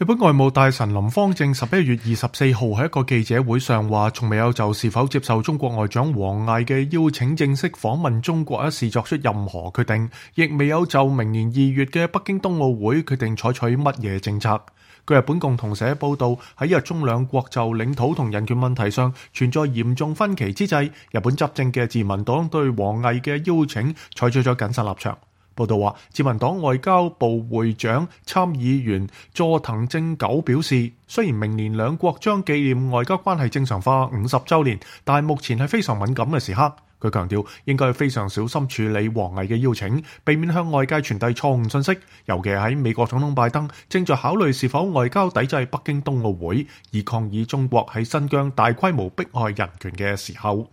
日本外務大臣林芳正11月24號喺一個記者會上話，從未有就是否接受中國外長王毅嘅邀請正式訪問中國一事作出任何決定，亦未有就明年2月嘅北京冬奧會決定採取乜嘢政策。據日本共同社報道，喺日中兩國就領土同人權問題上存在嚴重分歧之際，日本執政嘅自民黨對王毅嘅邀請採取咗謹慎立場。報道話，自民黨外交部會長參議員佐藤正久表示，雖然明年兩國將紀念外交關係正常化50週年，但係目前係非常敏感嘅時刻。佢強調應該非常小心處理王毅嘅邀請，避免向外界傳遞錯誤信息，尤其喺美國總統拜登正在考慮是否外交抵制北京冬奧會，以抗議中國喺新疆大規模迫害人權嘅時候。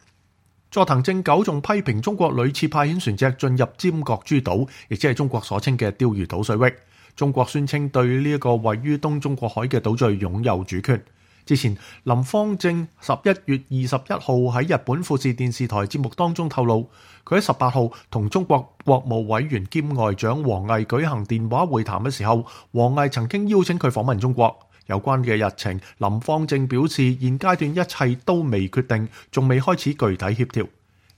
佐藤正久仲批評中國屢次派遣船隻進入尖閣諸島，亦即係中國所稱嘅釣魚島水域。中國宣稱對呢一個位於東中國海嘅島嶼擁有主權。之前，林芳正11月21號喺日本富士電視台節目當中透露，佢喺18號同中國國務委員兼外長王毅舉行電話會談嘅時候，王毅曾經邀請佢訪問中國。有關嘅日程，林芳正表示現階段一切都未決定，仲未開始具體協調。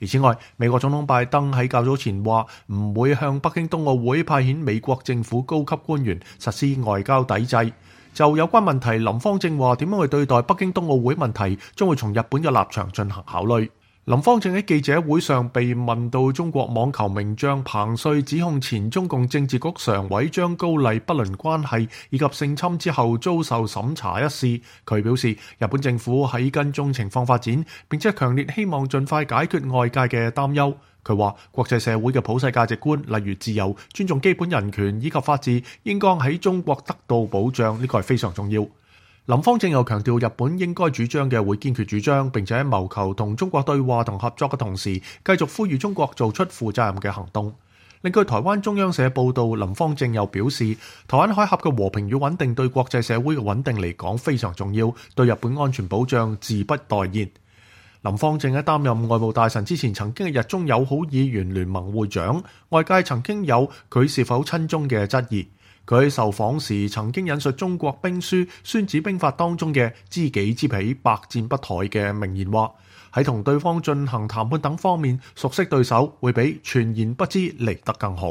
而此外，美國總統拜登喺較早前話唔會向北京冬奧會派遣美國政府高級官員實施外交抵制。就有關問題，林芳正話點樣去對待北京冬奧會問題，將會從日本嘅立場進行考慮。林芳正喺記者會上被問到中國網球名將彭帥指控前中共政治局常委張高麗不倫關係以及性侵之後遭受審查一事，佢表示日本政府喺跟蹤情況發展，並且強烈希望盡快解決外界嘅擔憂。佢話國際社會嘅普世價值觀，例如自由、尊重基本人權以及法治，應該喺中國得到保障，呢個係非常重要。林芳正又強調，日本應該主張嘅會堅決主張，並且喺謀求同中國對話同合作嘅同時，繼續呼籲中國做出負責任嘅行動。另據台灣中央社報道，林芳正又表示，台灣海峽嘅和平與穩定對國際社會嘅穩定嚟講非常重要，對日本安全保障自不待言。林芳正喺擔任外務大臣之前，曾經係日中友好議員聯盟會長，外界曾經有佢是否親中嘅質疑。佢喺受訪時曾經引述中國兵書《孫子兵法》當中嘅知己知彼，百戰不殆嘅名言話，喺同對方進行談判等方面，熟悉對手會比全然不知嚟得更好。